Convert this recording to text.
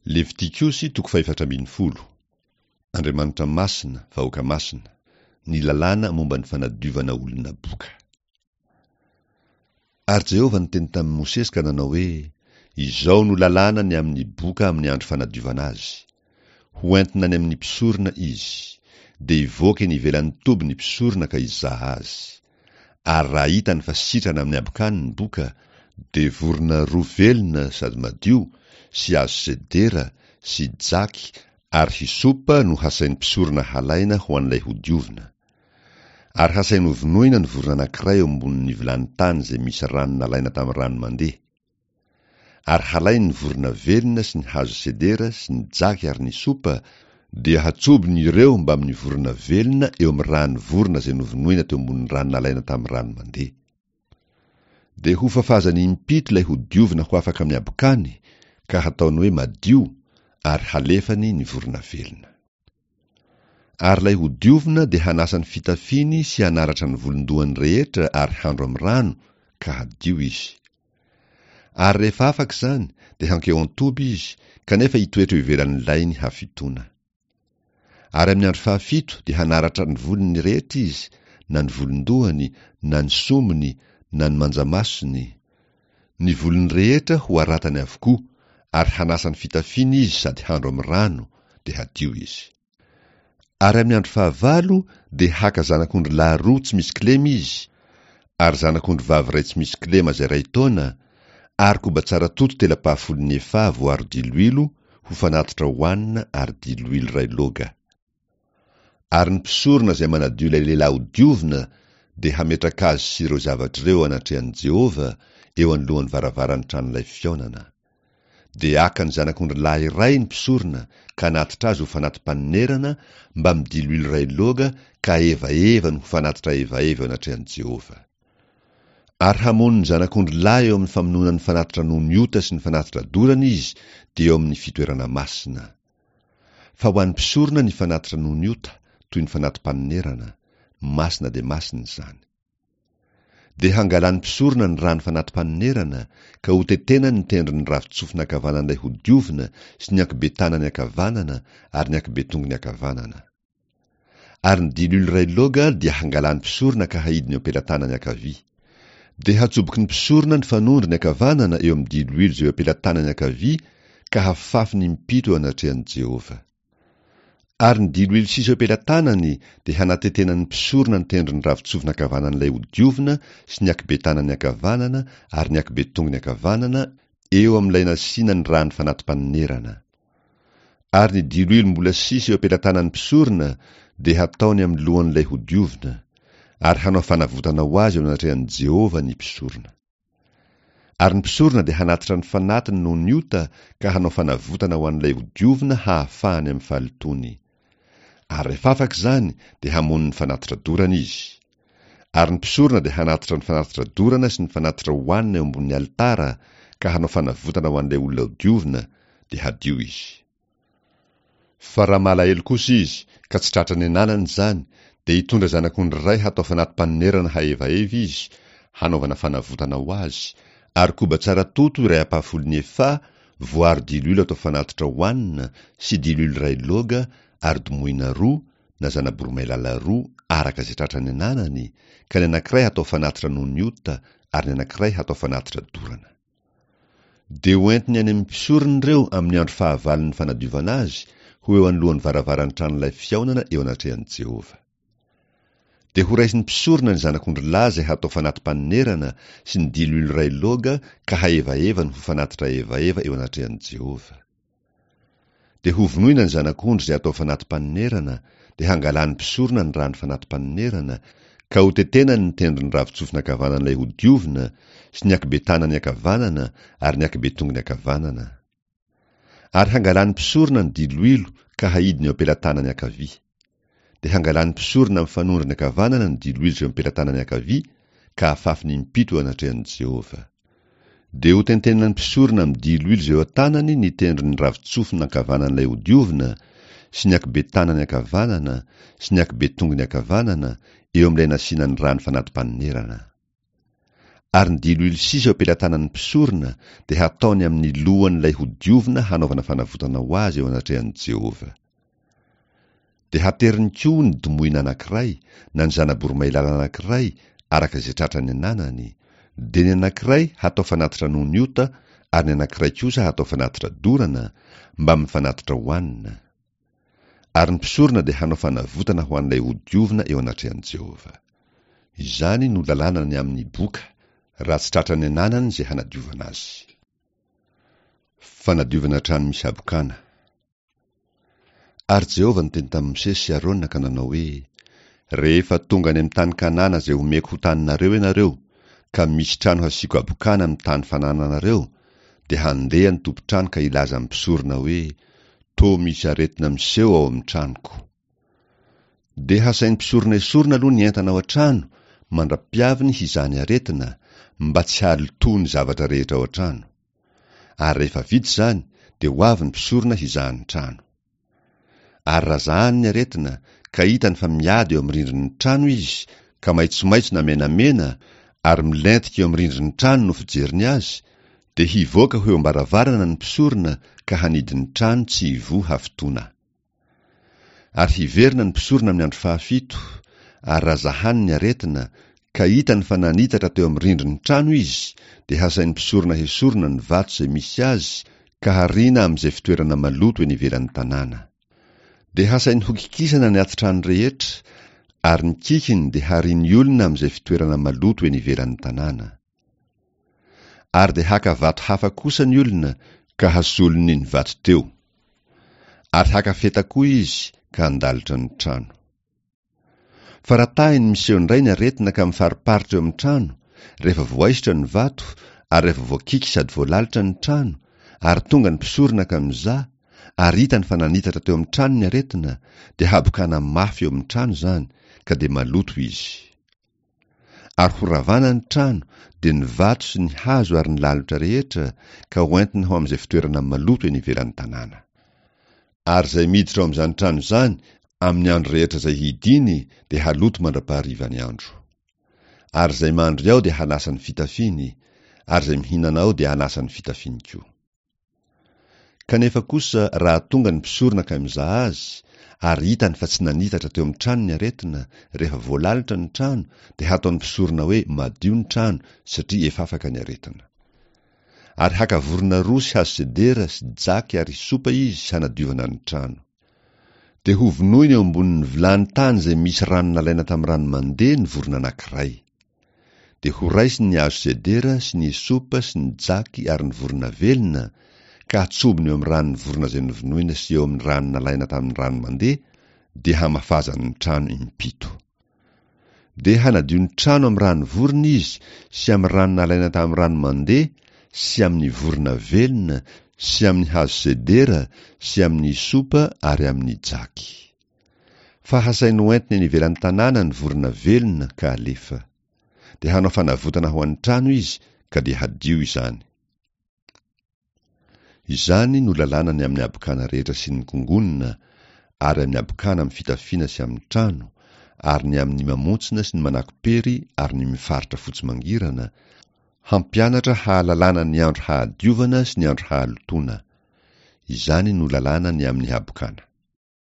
Levitikosy toko fahefatra ambin'ny folo. Andriamanitra masina, vahoaka masina. Ny lalàna momba ny fanadiovana olona boka. Ary Jehovah niteny tamin'i Mosesy ka nanao hoe, Izao no lalàna ny amin'ny boka amin'ny andro fanadiovana azy. Ho entina any amin'ny mpisorona izy. Dia hivoaka eny ivelan'ny toby ny mpisorona ka hizaha azy. Ary raha hitany fa sitrana amin'ny habokany ny boka, dia vorona roa velona sady madio, sy hazo sedera, sy jaky ary hysopa no hasain'ny mpisorona halaina ho an'ilay hodiovina. Ary hasainy hovonoina ny vorona anankiray eo ambonin'ny vilany tany izay misy rano nalaina tamin'ny rano mandeha. Ary halainy ny vorona velona sy ny hazo sedera sy ny jaky ary ny sopa, dia hatsobony ireo mbamin'ny vorona velona eo amin'ny ràn'ny vorona izay novonoina teo ambonin'ny rano nalaina tamin'ny rano mandeha. Dia hofafazany impito ilay hodiovina ho afaka amin'ny habokany, ka hataony hoe madio, ary halefany ny vorona velona. Ary ilay hodiovina dia hanasa ny fitafiany sy hanaratra ny volon-dohany rehetra ary handro amin'ny rano, ka hadio izy. Ary rehefa afaka izany, dia hankeo an-toby izy, kanefa hitoetra eo ivelan'ny lainy hafitoana. Ary amin'ny andro fahafito dia hanaratra ny volony rehetra izy, na ny volon-dohany, na ny sombiny, na ny manjamasony. Ny volony rehetra ho aratany avokoa, ary hanasa ny fitafiany izy sady handro amin'ny rano, dia hadio izy. Ary amin'ny andro fahavalo dia haka zanak'ondry lahy roa tsy misy kilema izy, ary zanak'ondry vavy iray tsy misy kilema izay iray taona, ary koba tsara toto tela-pahafolon'ny efaha voaro diloilo ho fanatitra hohanina ary diloilo iray loga. Ary ny mpisorona izay manadio ilay lehilahy hodiovina dia hametraka azy sy ireo zavatra ireo eo anatrehan'i Jehovah, eo anoloan'ny varavaran'ny tranolay fihaonana. Dia haka ny zanak'ondry lahy iray ny mpisorona ka hanatitra azy ho fanati-panonerana mbamin'ny diloilo iray loga ka hahevahevany ho fanatitra ahevaheva eo anatrehan'i Jehovah. Ary hamono ny zanak'ondry lahy eo amin'ny famonoana ny fanatitra noho ny ota sy ny fanatitra dorana izy, dia eo amin'ny fitoerana masina. Fa ho an'ny mpisorona ny fanatitra noho ny ota, toy ny fanati-panonerana, masina dia masina izany. Dia hangalan'ny mpisorona ny rano fanati-panonerana, ka hotetenany ny tendron'ny ravin-tsofina ankavanan'ilay hodiovina sy ny ankibe-tanany ankavanana ary ny ankibe-tongony ankavanana. Ary ny diloilo iray loga dia hangalan'ny mpisorona ka haidiny eo am-pelatanany ankavia. Dia hatsoboky ny mpisorona ny fanondrony ankavanana eo amin'ny diloilo izay eo am-pelatanany ankavia ka hafafiny impito eo anatrehan'i Jehovah. Ary ny diloilo sisa eo am-pelatanany dia hanatetenan'ny mpisorona ny tendron'ny ravin-tsofina ankavanan'ilay hodiovina sy ny ankibe-tanany ankavanana ary ny ankibe-tongony ankavanana eo amin'ilay nasiana ny ràn'ny fanati-panonerana. Ary ny diloilo mbola sisa eo am-pelatanan'ny mpisorona dia hataony amin'ny lohan'ilay hodiovina, ary hanao fanavotana ho azy eo anatrehan'i Jehovah ny mpisorona. Ary ny mpisorona dia hanatitra ny fanatiny noho ny ota ka hanao fanavotana ho an'ilay hodiovina hahafahany amin'ny fahalotoany. Ary rehefa afaka izany dia hamono ny fanatitra dorana izy. Ary ny mpisorona dia hanatitra ny fanatitra dorana sy ny fanatitra hohanina eo ambonin'ny alitara ka hanao fanavotana ho an'ilay olona hodiovina, dia hadio izy. Fa raha malahelo kosa izy, ka tsy tratran'ny ananany izany, dia hitondra zanak'ondry iray hatao fanati-panonerana hahevaheva izy, hanaovana fanavotana ho azy, ary koba tsara toto iray ampahafolon'ny efaha, voaro diloilo atao fanatitra hohanina, sy diloilo iray loga, ary domohina roa, na zana-boromailala roa, araka izay tratran'ny ananany, ka ny anankiray hatao fanatitra noho ny ota, ary ny anankiray hatao fanatitra dorana. Dia ho entiny any amin'ny mpisorona ireo amin'ny andro fahavalon'ny fanadiovana azy, ho eo anoloan'ny varavaran'ny tranolay fihaonana eo anatrehan'i Jehovah. Dia horaisin'ny mpisorona ny zanak'ondrilahy izay hatao fanati-panonerana sy ny diloilo iray loga ka hahevahevany ho fanatitra ahevaheva eo anatrehan'i Jehovah. Dia hovonoina ny zanak'ondry izay atao fanati-panonerana, dia hangalan'ny mpisorona ny ràn'ny fanati-panonerana, ka hotetenany ny tendron'ny ravin-tsofina ankavanan'ilay hodiovina, sy ny ankibe-tanany ankavanana ary ny ankibe-tongony ankavanana. Ary hangalan'ny mpisorona ny diloilo ka haidiny eo am-pelatanany ankavia. Dia hangalan'ny mpisorona amin'ny fanondrony ankavanana ny diloilo izay eo am-pelatanany ankavia, ka hafafiny impito eo anatrehan'i Jehovah. Dia hotentenin'ny mpisorona amin'ny diloilo izay eo an-tanany ny tendron'ny ravin-tsofina ankavanan'ilay hodiovina, sy ny ankibe-tanany ankavanana, sy ny ankibe-tongony ankavanana, eo amin'ilay nasiana ny rano fanati-panonerana. Ary ny diloilo sisa eo am-pelatanan'ny mpisorona dia hataony amin'ny lohan'ilay hodiovina hanaovana fanavotana ho azy eo anatrehan'i Jehovah. Dia hateriny koa ny domohina anankiray na ny zana-boromailala anankiray araka izay tratran'ny ananany, dia ny anankiray hatao fanatitra noho ny ota ary ny anankiray kosa hatao fanatitra dorana, mbamin'ny fanatitra hohanina. Ary ny mpisorona dia hanao fanavotana ho an'ilay hodiovina eo anatrehan'i Jehovah. Izany no lalàna ny amin'ny boka, raha tsy tratran'ny ananany izay hanadiovana azy. Fanadiovana trano misy habokana. Ary Jehovah niteny tamin'i Mosesy sy Arona ka nanao hoe, Rehefa tonga any amin'ny tany Kanana izay homeko ho taninareo ianareo, ka misy trano hasiako habokana amin'ny tany fanananareo, dia handeha ny tompon-trano ka hilaza amin'ny mpisorona hoe, Toa misy aretina miseho ao amin'ny tranoko. Dia hasain'ny mpisorona esorina aloha ny entana ao an-trano mandra-piaviny hizaha ny aretina, mba tsy hahalotoa ny zavatra rehetra ao an-trano. Ary rehefa vita izany, dia ho avy ny mpisorona hizaha ny trano. Ary raha zahany ny aretina, ka hitany fa miady eo amin'ny rindrin'ny trano izy, ka maitsomaitso na menamena, ary milentika eo amin'ny rindrin'ny trano no fijeriny azy, dia hivoaka ho eo am-baravarana ny mpisorona ka hanidy ny trano tsy hivoha hafitoana. Ary hiverina ny mpisorona amin'ny andro fahafito, ary raha zahany ny aretina, ka hitany fa nanitatra teo amin'ny rindrin'ny trano izy, dia hasain'ny mpisorona hesorina ny vato izay misy azy ka hariana amin'izay fitoerana maloto eny ivelan'ny tanàna. Dia hasainy hokikisana ny ati-trano rehetra, ary ny kikiny dia harian'ny olona amin'izay fitoerana maloto eny ivelan'ny tanàna. Ary dia haka vato hafa kosa ny olona ka hasolony ny vato teo. Ary haka feta koa izy ka handalotra ny trano. Fa raha tahiny miseho indray ny aretina ka mifariparitra eo amin'ny trano, rehefa voaisotra ny vato ary rehefa voakiky sady voalalotra ny trano, ary tonga ny mpisorona ka mizaha, ary hitany fa nanitatra teo amin'ny trano ny aretina, dia habokana mafy eo amin'ny trano izany, ka dia maloto izy. Ary horavana ny trano, dia ny vato sy ny hazo ary ny lalotra rehetra, ka hoentina ho amin'izay fitoerana maloto eny ivelan'ny tanàna. Ary izay miditra ao amin'izany trano izany amin'ny andro rehetra izay hidiany dia haloto mandra-paharivan'ny andro. Ary izay mandry ao dia hanasa ny fitafiany, ary izay mihinana ao dia hanasa ny fitafiany koa. Kanefa kosa raha tonga ny mpisorona ka mizaha azy, ary hitany fa tsy nanitatra teo amin'ny trano ny aretina, rehefa voalalotra ny trano, dia hataon'ny mpisorona hoe madio ny trano, satria efa afaka ny aretina. Ary haka vorona roa sy hazo sedera sy jaky ary hysopa izy hanadiovana ny trano. Dia hovonoiny eo ambonin'ny vilany tany izay misy rano nalaina tamin'ny rano mandeha ny vorona anankiray. Dia horaisiny ny hazo sedera sy ny hysopa sy ny jaky ary ny vorona velona, ka hatsobony eo amin'ny ran'ny vorona izay novonoina sy eo amin'ny rano nalaina tamin'ny rano mandeha, dia hamafazany ny trano impito. Dia hanadio ny trano amin'ny rano vorona izy sy amin'ny rano nalaina tamin'ny rano mandeha sy amin'ny vorona velona sy amin'ny hazo sedera sy amin'ny hysopa ary amin'ny jaky. Fa hasainy hoentiny eny ivelan'ny tanàna ny vorona velona ka alefa. Dia hanao fanavotana ho an'ny trano izy ka dia hadio izany. Izany no lalàna ny amin'ny habokana rehetra sy ny kongonina, ary amin'ny habokana amin'ny fitafiana sy amin'ny trano, ary ny amin'ny mamontsina sy ny manako-pery ary ny mifaritra fotsy mangirana, hampianatra hahalalana ny andro hahadiovana sy ny andro hahalotoana. Izany no lalàna ny amin'ny habokana.